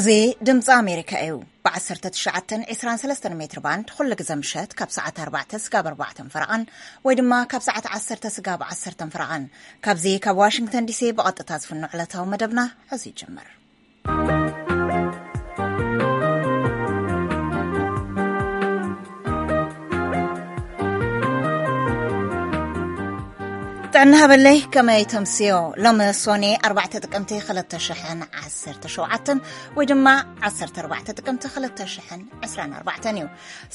እዚ ድምፂ ኣሜሪካ እዩ። ብ19 23 ሜትር ባንድ ኩሉ ግዜ ምሸት ካብ ሰዓት ኣርባዕተ ስጋብ ኣርባዕተን ፈረቓን ወይ ድማ ካብ ሰዓት ዓሰርተ ስጋብ ዓሰርተን ፈረቓን፣ ካብዚ ካብ ዋሽንግተን ዲሲ ብቐጥታ ዝፍኖ ዕለታዊ መደብና ሕዚ ይጅምር። ጥዕና ሃበለይ፣ ከመይ ተምስዮ? ሎሚ ሶኔ ኣርባዕተ ጥቅምቲ ክልተ ሽሕን ዓሰርተ ሸውዓተን ወይ ድማ ዓሰርተ ኣርባዕተ ጥቅምቲ ክልተ ሽሕን ዕስራን ኣርባዕተን እዩ።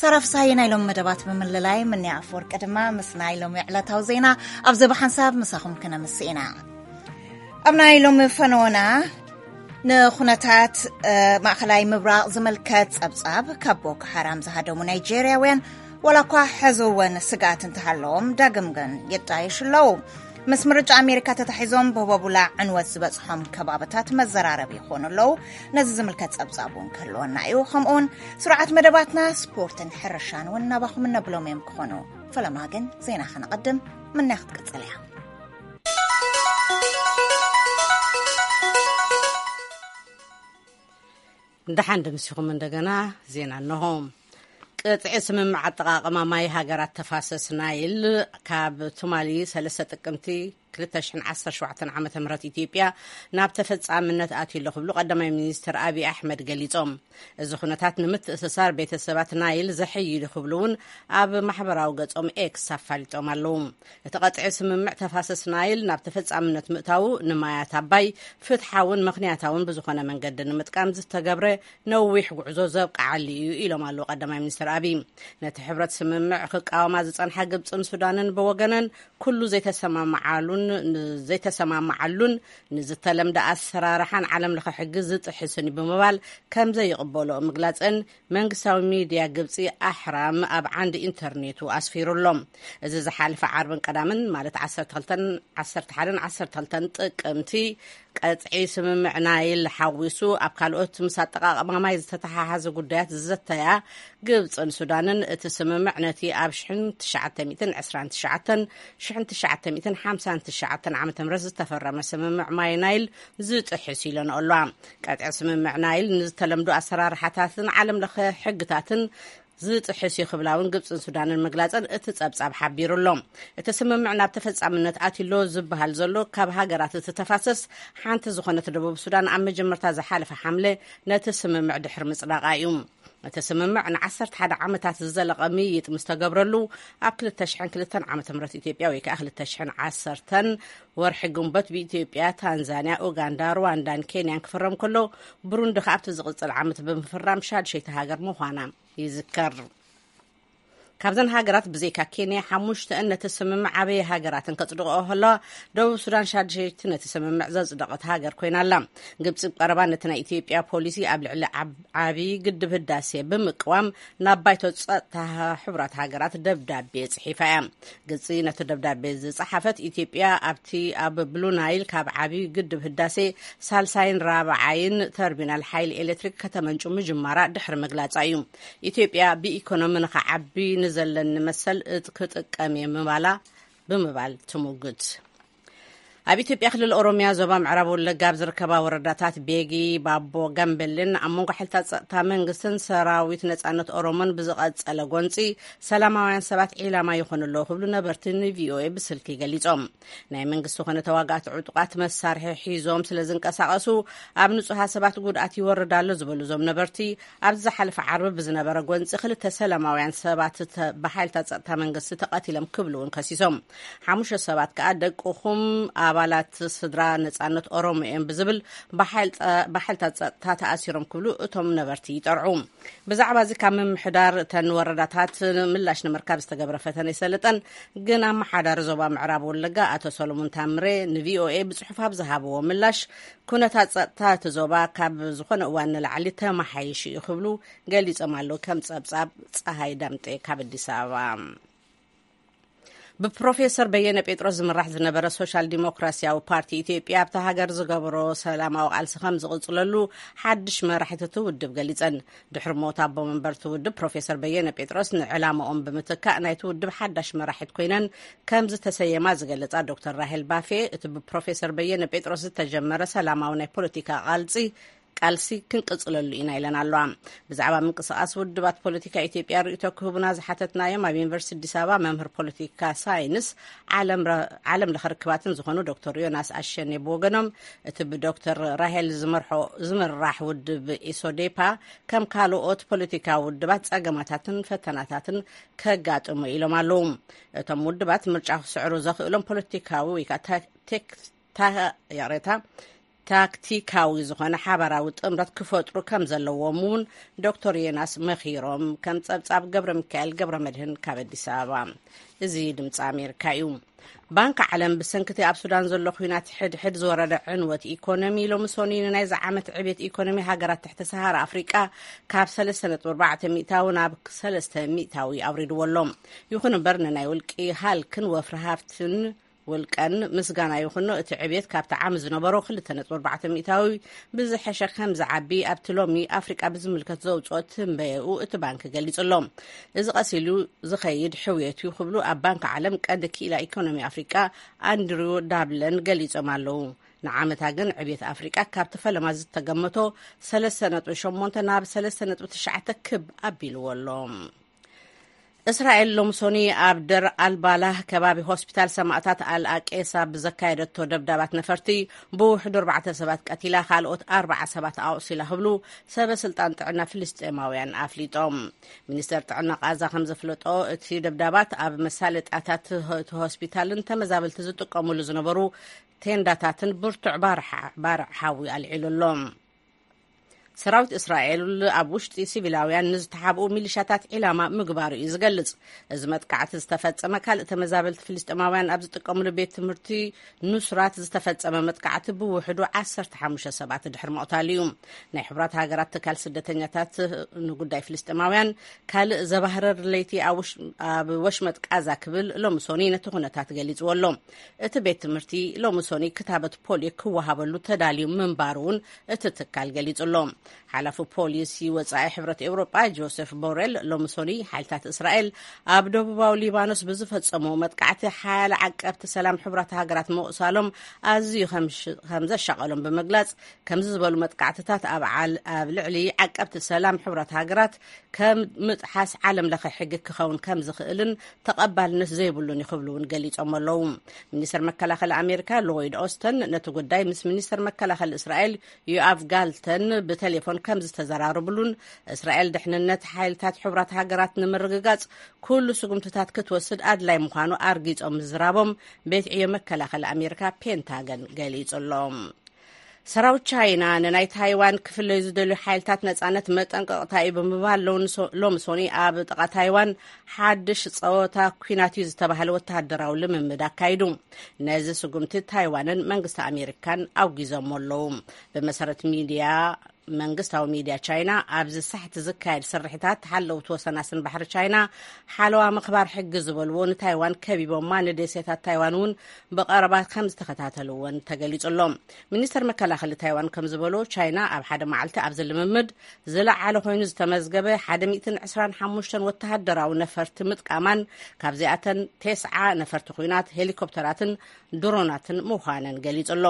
ሳራ ፍስሃየ ናይ ሎሚ መደባት ብምልላይ፣ ምንያ ኣፈወርቂ ድማ ምስ ናይ ሎሚ ዕለታዊ ዜና ኣብዚ ብሓንሳብ ምሳኹም ክነምስ ኢና። ኣብ ናይ ሎሚ ፈነወና ንኹነታት፣ እ፣ ማእኸላይ ምብራቕ ዝምልከት ጸብጻብ፣ ካብ ቦኮ ሓራም ዝሃደሙ ናይጄርያውያን ዋላ እኳ ሕዚ እውን ስግኣት እንተሃለዎም፣ ዳግም ግን ይጣየሹ ኣለዉ። ምስ ምርጫ ኣሜሪካ ተታሒዞም ብህቦቡላ ዕንወት ዝበጽሖም ከባብታት መዘራረቢ ይኾኑ ኣለዉ። ነዚ ዝምልከት ጸብጻብ እውን ክህልወና እዩ። ከምኡውን ስርዓት መደባትና ስፖርትን ሕርሻን እውን ናባኹም እነብሎም እዮም ክኾኑ። ፈለማ ግን ዜና ከነቐድም፣ ምንያ ክትቅጽል እያ። ደሓን ደምሲኹም እንደገና ዜና እንሆ። ቅጥዒ ስምምዕ ኣጠቓቕማ ማይ ሃገራት ተፋሰስ ናይል ካብ ትማሊ ሰለስተ ጥቅምቲ ክልተ ሽሕን ዓሰርተ ሸውዓተን ዓመተ ምህረት ኢትዮጵያ ናብ ተፈጻምነት ኣትዩ ኣሎ ክብሉ ቀዳማይ ሚኒስትር ኣብይ ኣሕመድ ገሊጾም። እዚ ኩነታት ንምትእስሳር ቤተሰባት ናይል ዘሐይል እዩ ክብሉ እውን ኣብ ማሕበራዊ ገጾም ኤክስ ኣፋሊጦም ኣለዉ። እቲ ቀጥዒ ስምምዕ ተፋሰስ ናይል ናብ ተፈጻምነት ምእታዉ ንማያት ኣባይ ፍትሓውን ምኽንያታውን ብዝኾነ መንገዲ ንምጥቃም ዝተገብረ ነዊሕ ጉዕዞ ዘብቅዓሉ እዩ ኢሎም ኣለዉ ቀዳማይ ሚኒስትር ኣብይ። ነቲ ሕብረት ስምምዕ ክቃወማ ዝጸንሓ ግብጽን ሱዳንን ብወገነን ኩሉ ዘይተሰማምዓሉን ዘይተሰማምዓሉን ንዝተለምደ ኣሰራርሓን ዓለም ለኸ ሕጊ ዝጥሕስን እዩ ብምባል ከም ዘይቕበልኦ ምግላጸን መንግስታዊ ሚድያ ግብጺ ኣሕራም ኣብ ዓንዲ ኢንተርኔቱ ኣስፊሩ ኣሎ። እዚ ዝሓለፈ ዓርብን ቀዳምን ማለት ዓሰርተ ክልተን ዓሰርተ ሓደን ዓሰርተ ክልተን ጥቅምቲ ቀጥዒ ስምምዕ ናይል ሓዊሱ ኣብ ካልኦት ምስ ኣጠቓቕማ ማይ ዝተተሓሓዘ ጉዳያት ዝዘተያ ግብጽን ሱዳንን እቲ ስምምዕ ነቲ ኣብ ሽሕን ትሽዓተ ሚእትን ዕስራን ትሽዓተን ሽሕን ትሽዓተ ሚእትን ሓምሳን ትሽዓተን ዓመተ ምህረት ዝተፈረመ ስምምዕ ማይ ናይል ዝጥሕስ ኢለን ኣለዋ። ቀጥዒ ስምምዕ ናይል ንዝተለምዶ ኣሰራርሓታትን ዓለም ለኸ ሕግታትን ዝጥሕስ እዩ ክብላ እውን ግብጽን ሱዳንን ምግላጸን እቲ ጸብጻብ ሓቢሩ ኣሎ። እቲ ስምምዕ ናብ ተፈጻምነት ኣትሎ ዝበሃል ዘሎ ካብ ሃገራት እቲ ተፋሰስ ሓንቲ ዝኾነት ደቡብ ሱዳን ኣብ መጀመርታ ዝሓለፈ ሓምለ ነቲ ስምምዕ ድሕሪ ምጽዳቓ እዩ። እቲ ስምምዕ ንዓሰርተ ሓደ ዓመታት ዝዘለቐ ምይይጥ ምስ ተገብረሉ ኣብ ክልተ ሽሕን ክልተን ዓመተ ምህረት ኢትዮጵያ ወይ ከዓ ክልተ ሽሕን ዓሰርተን ወርሒ ግንቦት ብኢትዮጵያ፣ ታንዛንያ፣ ኡጋንዳ፣ ሩዋንዳን ኬንያን ክፍረም ከሎ ብሩንዲ ከኣ ኣብቲ ዝቕጽል ዓመት ብምፍራም ሻድሸይቲ ሃገር ምዃና ይዝከር። ካብዘን ሃገራት ብዘይካ ኬንያ ሓሙሽተአን ነቲ ስምምዕ ዓበየ ሃገራትን ከጽድቕኦ ከለዋ ደቡብ ሱዳን ሻድሸይቲ ነቲ ስምምዕ ዘጽደቐት ሃገር ኮይና ኣላ። ግብጺ ቀረባ ነቲ ናይ ኢትዮጵያ ፖሊሲ ኣብ ልዕሊ ዓብ- ዓብዪ ግድብ ህዳሴ ብምቅዋም ናብ ባይቶ ጸጥታ ሕቡራት ሃገራት ደብዳቤ ጽሒፋ እያ። ግብጺ ነቲ ደብዳቤ ዝጸሓፈት ኢትዮጵያ ኣብቲ ኣብ ብሉ ናይል ካብ ዓብዪ ግድብ ህዳሴ ሳልሳይን ራብዓይን ተርሚናል ሓይሊ ኤሌክትሪክ ከተመንጩ ምጅማራ ድሕሪ ምግላጻ እዩ። ኢትዮጵያ ብኢኮኖሚ ንኸዓቢ ንዘለኒ መሰል እት- ክጥቀም እየ ምባላ ብምባል ትሙግት። ኣብ ኢትዮጵያ ክልል ኦሮሚያ ዞባ ምዕራብ ወለጋ ኣብ ዝርከባ ወረዳታት ቤጊ፣ ባቦ፣ ጋምቤልን ኣብ መንጎ ሓይልታት ጸጥታ መንግስትን ሰራዊት ነጻነት ኦሮሞን ብዝቐጸለ ጎንጺ ሰላማውያን ሰባት ዒላማ ይኾኑ ኣለዉ ክብሉ ነበርቲ ንቪኦኤ ብስልኪ ገሊጾም። ናይ መንግስቲ ኮነ ተዋጋእቲ ዕጡቓት መሳርሒ ሒዞም ስለ ዝንቀሳቐሱ ኣብ ንጹሃት ሰባት ጉድኣት ይወርድ ኣሎ ዝበሉ እዞም ነበርቲ፣ ኣብዚ ዝሓለፈ ዓርቢ ብዝነበረ ጎንጺ ክልተ ሰላማውያን ሰባት ተ- ብሓይልታት ጸጥታ መንግስቲ ተቐቲሎም ክብሉ እውን ከሲሶም። ሓሙሽተ ሰባት ከኣ ደቅኹም ኣባላት ስድራ ነጻነት ኦሮሞ እዮም ብዝብል ብሓይል ጸ- ብሓይልታት ጸጥታ ተኣሲሮም ክብሉ እቶም ነበርቲ ይጠርዑ። ብዛዕባ እዚ ካብ ምምሕዳር እተን ወረዳታት ምላሽ ንምርካብ ዝተገብረ ፈተነ ይሰለጠን፣ ግን ኣመሓዳሪ ዞባ ምዕራብ ወለጋ ኣቶ ሰሎሞን ታምሬ ንቪኦኤ ብጽሑፍ ኣብ ዝሃብዎ ምላሽ፣ ኩነታት ጸጥታ እቲ ዞባ ካብ ዝኾነ እዋን ንላዕሊ ተመሓይሹ እዩ ክብሉ ገሊጾም ኣለዉ። ከም ጸብጻብ ጸሃይ ዳምጤ ካብ ኣዲስ ኣበባ። ብፕሮፌሰር በየነ ጴጥሮስ ዝምራሕ ዝነበረ ሶሻል ዲሞክራሲያዊ ፓርቲ ኢትዮጵያ ኣብታ ሃገር ዝገብሮ ሰላማዊ ቃልሲ ከም ዝቕጽለሉ ሓድሽ መራሒት እቲ ውድብ ገሊጸን። ድሕሪ ሞት ኣቦ መንበር እቲ ውድብ ፕሮፌሰር በየነ ጴጥሮስ ንዕላማኦም ብምትካእ ናይቲ ውድብ ሓዳሽ መራሒት ኮይነን ከም ዝተሰየማ ዝገለጻ ዶክተር ራሄል ባፌ፣ እቲ ብፕሮፌሰር በየነ ጴጥሮስ ዝተጀመረ ሰላማዊ ናይ ፖለቲካ ቃልሲ ቃልሲ ክንቅጽለሉ ኢና ኢለን ኣለዋ። ብዛዕባ ምንቅስቃስ ውድባት ፖለቲካ ኢትዮጵያ ርእይቶ ክህቡና ዝሓተትናዮም ኣብ ዩኒቨርሲቲ ኣዲስ ኣበባ መምህር ፖለቲካ ሳይንስ ዓለም ረ- ዓለም ለኸ ርክባትን ዝኾኑ ዶክተር ዮናስ ኣሸኔ ብወገኖም፣ እቲ ብዶክተር ራሄል ዝመርሖ ዝምራሕ ውድብ ኢሶዴፓ ከም ካልኦት ፖለቲካዊ ውድባት ጸገማታትን ፈተናታትን ከጋጥሙ ኢሎም ኣለዉ። እቶም ውድባት ምርጫ ክስዕሩ ዘኽእሎም ፖለቲካዊ ወይ ከዓ ታ- ቴክ- ታ- ይቕሬታ፣ ታክቲካዊ ዝኾነ ሓባራዊ ጥምረት ክፈጥሩ ከም ዘለዎም እውን ዶክተር ዮናስ መኺሮም። ከም ጸብጻብ ገብረ ሚካኤል ገብረ መድህን ካብ ኣዲስ ኣበባ። እዚ ድምፂ ኣሜሪካ እዩ። ባንክ ዓለም ብሰንክቲ ኣብ ሱዳን ዘሎ ኲናት ሕድሕድ ዝወረደ ዕንወት ኢኮኖሚ ሎሚ ሰኑይ ንናይዚ ዓመት ዕብየት ኢኮኖሚ ሃገራት ትሕቲ ሰሃራ ኣፍሪቃ ካብ ሰለስተ ነጥቢ ኣርባዕተ ሚእታዊ ናብ ሰለስተ ሚእታዊ ኣውሪድዎ ኣሎ። ይኹን እምበር ንናይ ውልቂ ሃልክን ወፍሪ ሃፍትን ውልቀን ምስጋና ይኹኖ፣ እቲ ዕብየት ካብቲ ዓሚ ዝነበሮ ክልተ ነጥቢ ኣርባዕተ ሚእታዊ ብዝሐሸ ከም ዝዓቢ ኣብቲ ሎሚ ኣፍሪቃ ብዝምልከት ዘውፅኦ ትንበየኡ እቲ ባንክ ገሊጹ ኣሎ። እዚ ቀስ ኢሉ ዝኸይድ ሕውየት እዩ ክብሉ ኣብ ባንክ ዓለም ቀንዲ ክኢላ ኢኮኖሚ ኣፍሪቃ ኣንድሪው ዳብለን ገሊጾም ኣለዉ። ንዓመታ ግን ዕብየት ኣፍሪቃ ካብቲ ፈለማ ዝተገመቶ ሰለስተ ነጥቢ ሸሞንተ ናብ ሰለስተ ነጥቢ ትሽዓተ ክብ ኣቢልዎ ኣሎ። እስራኤል ሎምሶኒ ኣብ ደር ኣልባላህ ከባቢ ሆስፒታል ሰማእታት ኣልኣቄሳ ብዘካየደቶ ደብዳባት ነፈርቲ ብውሕዱ ኣርባዕተ ሰባት ቀቲላ፣ ካልኦት ኣርባዓ ሰባት ኣቑሲላ ክብሉ ሰበ ስልጣን ጥዕና ፍልስጤማውያን ኣፍሊጦም። ሚኒስተር ጥዕና ቃዛ ከም ዘፍለጦ፣ እቲ ደብዳባት ኣብ መሳለጣታት እቲ ሆስፒታልን ተመዛበልቲ ዝጥቀሙሉ ዝነበሩ ቴንዳታትን ብርቱዕ ባርዕ ሓዊ ኣልዒሉ ኣሎ። ሰራዊት እስራኤል ኣብ ውሽጢ ሲቪላውያን ንዝተሓብኡ ሚሊሻታት ዒላማ ምግባሩ እዩ ዝገልጽ። እዚ መጥቃዕቲ ዝተፈጸመ ካልእ ተመዛበልቲ ፍልስጤማውያን ኣብ ዝጥቀምሉ ቤት ትምህርቲ ኑስራት ዝተፈጸመ መጥቃዕቲ ብውሕዱ ዓሰርተ ሓሙሽተ ሰባት ድሕሪ ምቕታሉ እዩ። ናይ ሕቡራት ሃገራት ትካል ስደተኛታት ንጉዳይ ፍልስጤማውያን ካልእ ዘባህረር ለይቲ ኣብ ወሽመጥ ቃዛ ክብል ሎሚ ሶኒ ነቲ ኩነታት ገሊጽዎ ኣሎ። እቲ ቤት ትምህርቲ ሎሚ ሶኒ ክታበት ፖሊዮ ክወሃበሉ ተዳልዩ ምንባሩ እውን እቲ ትካል ገሊጹ ኣሎ። ሓላፊ ፖሊሲ ወጻኢ ሕብረት ኤውሮጳ ጆሴፍ ቦሬል ሎሚ ሶኒ ሓይልታት እስራኤል ኣብ ደቡባዊ ሊባኖስ ብዝፈጸሙ መጥቃዕቲ ሓያለ ዓቀብቲ ሰላም ሕቡራት ሃገራት ምቑሳሎም ኣዝዩ ከም ዘሻቐሎም ብምግላጽ፣ ከምዚ ዝበሉ መጥቃዕትታት ኣብ ልዕሊ ዓቀብቲ ሰላም ሕቡራት ሃገራት ከም ምጥሓስ ዓለም ለኸ ሕጊ ክኸውን ከም ዝኽእልን ተቐባልነት ዘይብሉን እዩ ክብሉ እውን ገሊጾም ኣለዉ። ሚኒስተር መከላኸሊ ኣሜሪካ ሎይድ ኦስተን ነቲ ጉዳይ ምስ ሚኒስተር መከላኸሊ እስራኤል ዮኣቭ ጋልተን ብቴሌፎን ከም ዝተዘራረብሉን፣ እስራኤል ድሕንነት ሓይልታት ሕቡራት ሃገራት ንምርግጋጽ ኩሉ ስጉምትታት ክትወስድ ኣድላይ ምዃኑ ኣርጊጾም ምዝራቦም ቤት ዕዮ መከላኸሊ ኣሜሪካ ፔንታገን ገሊጹ ኣሎ። ሰራዊት ቻይና ንናይ ታይዋን ክፍለዩ ዝደልዩ ሓይልታት ነጻነት መጠንቀቕታ እዩ ብምባል፣ ሎሚ ሶኒ ኣብ ጥቓ ታይዋን ሓድሽ ጸወታ ኲናት እዩ ዝተባህለ ወተሃደራዊ ልምምድ ኣካይዱ። ነዚ ስጉምቲ ታይዋንን መንግስቲ ኣሜሪካን ኣውጊዞሞ ኣለዉ። ብመሰረት ሚድያ መንግስታዊ ሚድያ ቻይና፣ ኣብዚ ሳሕቲ ዝካየድ ስርሒታት ሓለውቲ ወሰናስን ባሕሪ ቻይና ሓለዋ ምኽባር ሕጊ ዝበልዎ ንታይዋን ከቢቦማ፣ ንደሴታት ታይዋን እውን ብቐረባ ከም ዝተኸታተልዎን ተገሊጹ ኣሎ። ሚኒስተር መከላኸሊ ታይዋን ከም ዝበሎ፣ ቻይና ኣብ ሓደ መዓልቲ ኣብዚ ልምምድ ዝለዓለ ኮይኑ ዝተመዝገበ ሓደ ሚእትን ዕስራን ሓሙሽተን ወተሃደራዊ ነፈርቲ ምጥቃማን፣ ካብዚኣተን ቴስዓ ነፈርቲ ኲናት፣ ሄሊኮፕተራትን ድሮናትን ምዃነን ገሊጹ ኣሎ።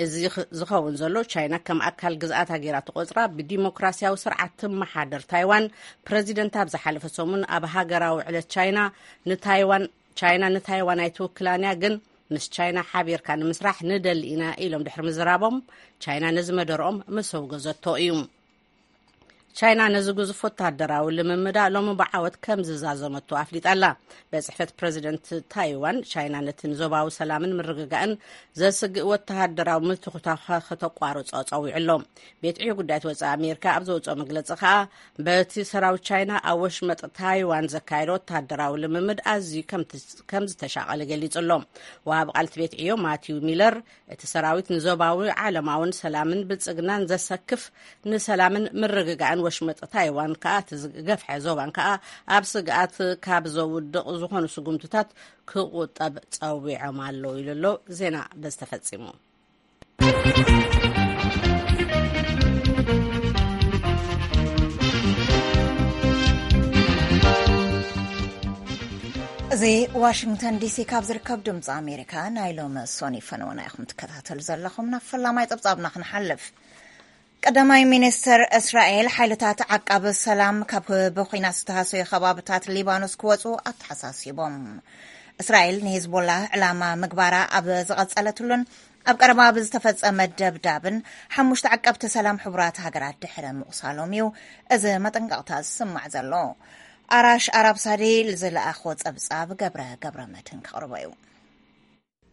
እዚ ዝኸውን ዘሎ፣ ቻይና ከም ኣካል ግዝኣታ ገይራ ትቆጽራ ብዲሞክራሲያዊ ስርዓት ትመሓደር ታይዋን፣ ፕረዚደንት ኣብ ዝሓለፈ ሰሙን ኣብ ሃገራዊ ዕለት ቻይና ንታይዋን፣ ቻይና ንታይዋን ኣይትውክላን እያ፣ ግን ምስ ቻይና ሓቢርካ ንምስራሕ ንደሊ ኢና ኢሎም ድሕሪ ምዝራቦም፣ ቻይና ነዚ መደርኦም ምስ ኣውገዘቶ እዩ። ቻይና ነዚ ግዙፍ ወተሃደራዊ ልምምዳ ሎሚ ብዓወት ከም ዝዛዘመቶ ኣፍሊጣ ኣላ። ቤት ጽሕፈት ፕረዚደንት ታይዋን፣ ቻይና ነቲ ንዞባዊ ሰላምን ምርግጋእን ዘስግእ ወተሃደራዊ ምትኹታኻ ከተቋርጾ ጸዊዑ ኣሎ። ቤት ዕዮ ጉዳያት ወጻኢ ኣሜሪካ ኣብ ዘውጽኦ መግለጺ ከኣ፣ በቲ ሰራዊት ቻይና ኣብ ወሽመጥ ታይዋን ዘካየዶ ወተሃደራዊ ልምምድ ኣዝዩ ከም ዝተሻቐለ ገሊጹ ኣሎ። ወሃቢ ቃል እቲ ቤት ዕዮ ማቲው ሚለር፣ እቲ ሰራዊት ንዞባዊ ዓለማውን ሰላምን ብልጽግናን ዘሰክፍ፣ ንሰላምን ምርግጋእን ወሽመጥ ታይዋን ከኣ እቲ ዝገፍሐ ዞባን ከኣ ኣብ ስግኣት ካብ ዘውድቕ ዝኾኑ ስጉምትታት ክቑጠብ ጸዊዖም ኣለዉ ኢሉ ኣሎ። ዜና በዚ ተፈጺሙ። እዚ ዋሽንግተን ዲሲ ካብ ዝርከብ ድምፂ ኣሜሪካ ናይ ሎሚ ሶኒ ፈነወና ኢኹም ትከታተሉ ዘለኹም። ናብ ፈላማይ ፀብፃብና ክንሓልፍ። ቀዳማይ ሚኒስትር እስራኤል ሓይልታት ዓቃቢ ሰላም ካብ ብኹናት ዝተሃሰዩ ከባብታት ሊባኖስ ክወፁ ኣተሓሳሲቦም። እስራኤል ንሂዝቦላህ ዕላማ ምግባራ ኣብ ዝቐጸለትሉን ኣብ ቀረባ ብዝተፈጸመ ደብዳብን ሓሙሽተ ዓቀብቲ ሰላም ሕቡራት ሃገራት ድሕሪ ምቑሳሎም እዩ እዚ መጠንቀቕታ ዝስማዕ ዘሎ። ኣራሽ ኣራብ ሳዲ ዝለኣኾ ጸብጻብ ገብረ ገብረ መድህን ከቕርቦ እዩ።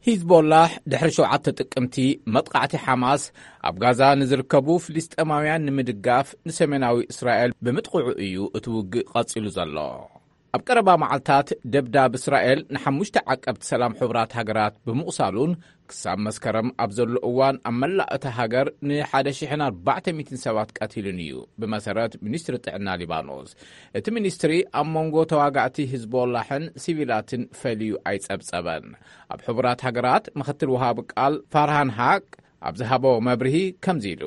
ሂዝቦላህ ድሕሪ ሸውዓተ ጥቅምቲ መጥቃዕቲ ሓማስ ኣብ ጋዛ ንዝርከቡ ፍልስጤማውያን ንምድጋፍ ንሰሜናዊ እስራኤል ብምጥቕዑ እዩ እቲ ውግእ ቀጺሉ ዘሎ። ኣብ ቀረባ መዓልታት ደብዳብ እስራኤል ንሓሙሽተ ዓቀብቲ ሰላም ሕቡራት ሃገራት ብምቑሳሉን ክሳብ መስከረም ኣብ ዘሎ እዋን ኣብ መላእ እታ ሃገር ን ሓደ ሽሕን ኣርባዕተ ሚእትን ሰባት ቀቲሉን እዩ፣ ብመሰረት ሚኒስትሪ ጥዕና ሊባኖስ። እቲ ሚኒስትሪ ኣብ መንጎ ተዋጋእቲ ሂዝቦላሕን ሲቪላትን ፈልዩ ኣይጸብጸበን። ኣብ ሕቡራት ሃገራት ምኽትል ወሃቢ ቃል ፋርሃን ሃቅ ኣብ ዝሃቦ መብርሂ ከምዚ ኢሉ።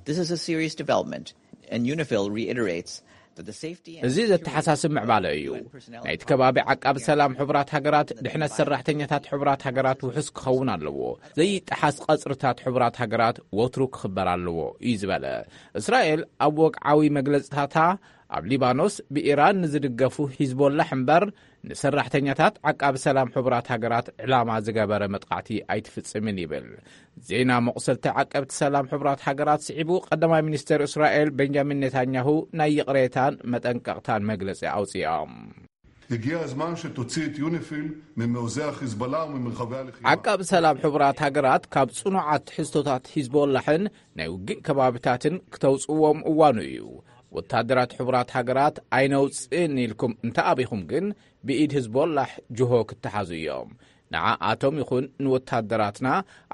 This is a serious development, and UNIFIL reiterates that the safety and እዚ ዘተሓሳስብ ምዕባለ እዩ። ናይቲ ከባቢ ዓቃቢ ሰላም ሕቡራት ሃገራት ድሕነት ሰራሕተኛታት ሕቡራት ሃገራት ውሑስ ክኸውን ኣለዎ። ዘይጠሓስ ቐጽርታት ሕቡራት ሃገራት ወትሩ ክኽበር ኣለዎ እዩ ዝበለ። እስራኤል ኣብ ወግዓዊ መግለጽታታ ኣብ ሊባኖስ ብኢራን ንዝድገፉ ሂዝቦላሕ እምበር ንሰራሕተኛታት ዓቃቢ ሰላም ሕቡራት ሃገራት ዕላማ ዝገበረ መጥቃዕቲ ኣይትፍጽምን ይብል። ዜና መቑሰልቲ ዓቀብቲ ሰላም ሕቡራት ሃገራት ስዒቡ ቀዳማይ ሚኒስትር እስራኤል ቤንጃሚን ኔታንያሁ ናይ ይቕሬታን መጠንቀቕታን መግለጺ ኣውጺኦም። הגיע הזמן שתוציא את יוניפיל ממעוזי החיזבאללה וממרחבי הלחימה. ዓቃቢ ሰላም ሕቡራት ሃገራት ካብ ጽኑዓት ትሕዝቶታት ሂዝቦላሕን ናይ ውግእ ከባብታትን ክተውጽዎም እዋኑ እዩ። ወታደራት ሕቡራት ሃገራት ኣይነውጽእን ኢልኩም እንተኣቢኹም ግን ብኢድ ህዝቦላሕ ጅሆ ክተሓዙ እዮም። ንዓኣቶም ይኹን ንወታደራትና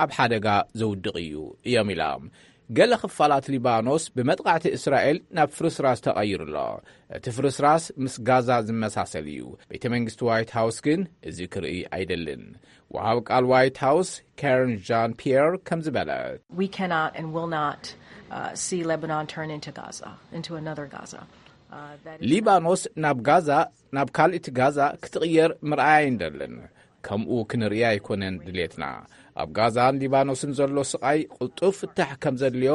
ኣብ ሓደጋ ዘውድቕ እዩ እዮም ኢሎም። ገለ ክፋላት ሊባኖስ ብመጥቃዕቲ እስራኤል ናብ ፍርስራስ ተቐይሩ ኣሎ። እቲ ፍርስራስ ምስ ጋዛ ዝመሳሰል እዩ። ቤተ መንግስቲ ዋይት ሃውስ ግን እዚ ክርኢ ኣይደልን። ወሃብ ቃል ዋይት ሃውስ ካረን ጃን ፒየር ከም ዝበለት We cannot and will not uh, see Lebanon turn into Gaza, into another Gaza. Uh, that is ሊባኖስ ናብ ጋዛ ናብ ካልእቲ ጋዛ ክትቕየር ምርኣይ ኣይንደልን። ከምኡ ክንርኢ ኣይኮነን ድሌትና። ኣብ ጋዛን ሊባኖስን ዘሎ ስቓይ ቅልጡፍ ፍታሕ ከም ዘድልዮ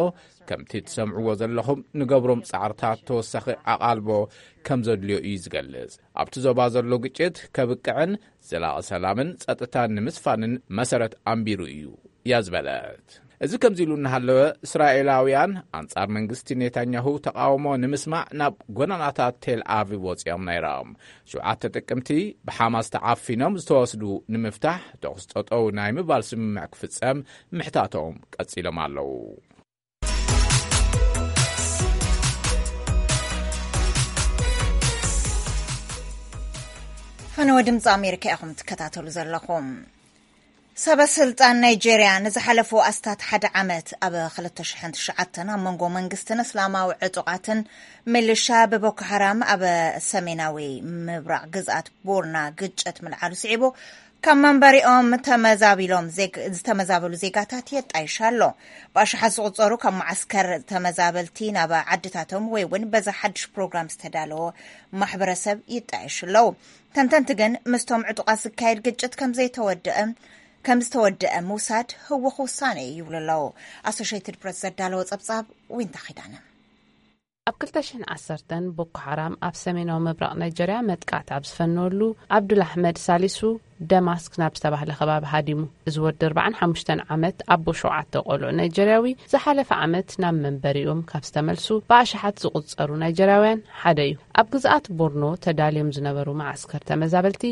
ከምቲ ትሰምዕዎ ዘለኹም ንገብሮም ጻዕርታት ተወሳኺ ኣቓልቦ ከም ዘድልዮ እዩ ዝገልጽ። ኣብቲ ዞባ ዘሎ ግጭት ከብቅዕን ዘላቒ ሰላምን ጸጥታን ንምስፋንን መሰረት ኣንቢሩ እዩ እያ ዝበለት። እዚ ከምዚ ኢሉ እናሃለወ እስራኤላውያን ኣንጻር መንግስቲ ኔታንያሁ ተቓውሞ ንምስማዕ ናብ ጎደናታት ቴል ኣቪቭ ወጺኦም ነይሮም። ሸውዓተ ጥቅምቲ ብሓማስ ተዓፊኖም ዝተወስዱ ንምፍታሕ ተኹስ ጠጠው ናይ ምባል ስምምዕ ክፍጸም ምሕታቶም ቀጺሎም ኣለዉ። ፈነወ ድምፂ ኣሜሪካ ኢኹም ትከታተሉ ዘለኹም። ሰበ ስልጣን ናይጄርያ ንዝሓለፉ ኣስታት ሓደ ዓመት ኣብ ክልተ ሽሕን ትሽዓተን ኣብ መንጎ መንግስትን እስላማዊ ዕጡቓትን ሚሊሻ ብቦኮ ሓራም ኣብ ሰሜናዊ ምብራቕ ግዝኣት ቦርና ግጭት ምልዓሉ ስዒቡ ካብ መንበሪኦም ተመዛቢሎም ዜግ- ዝተመዛበሉ ዜጋታት የጣይሽ ኣሎ። ብኣሽሓት ዝቑጸሩ ካብ መዓስከር ተመዛበልቲ ናብ ዓድታቶም ወይ እውን በዚ ሓድሽ ፕሮግራም ዝተዳለወ ማሕበረሰብ ይጣየሹ ኣለዉ። ተንተንቲ ግን ምስቶም ዕጡቓት ዝካየድ ግጭት ከም ዘይተወደአ ከም ዝተወደአ ምውሳድ ህውኽ ውሳነ እዩ ይብሉ ኣለዉ። ኣሶሽየትድ ፕረስ ዘዳለወ ጸብጻብ ዊንታ ኺዳነ። ኣብ ክልተ ሽሕን ዓሰርተን ቦኮ ሓራም ኣብ ሰሜናዊ ምብራቕ ናይጀርያ መጥቃዕቲ ኣብ ዝፈነወሉ፣ ኣብዱል ኣሕመድ ሳሊሱ ደማስክ ናብ ዝተባህለ ከባቢ ሃዲሙ። እዚ ወዲ ኣርባዓን ሓሙሽተን ዓመት ኣቦ ሸውዓተ ቆልዑ ናይጀርያዊ ዝሓለፈ ዓመት ናብ መንበሪኦም ካብ ዝተመልሱ ብኣሽሓት ዝቑጸሩ ናይጀርያውያን ሓደ እዩ። ኣብ ግዝኣት ቦርኖ ተዳልዮም ዝነበሩ መዓስከር ተመዛበልቲ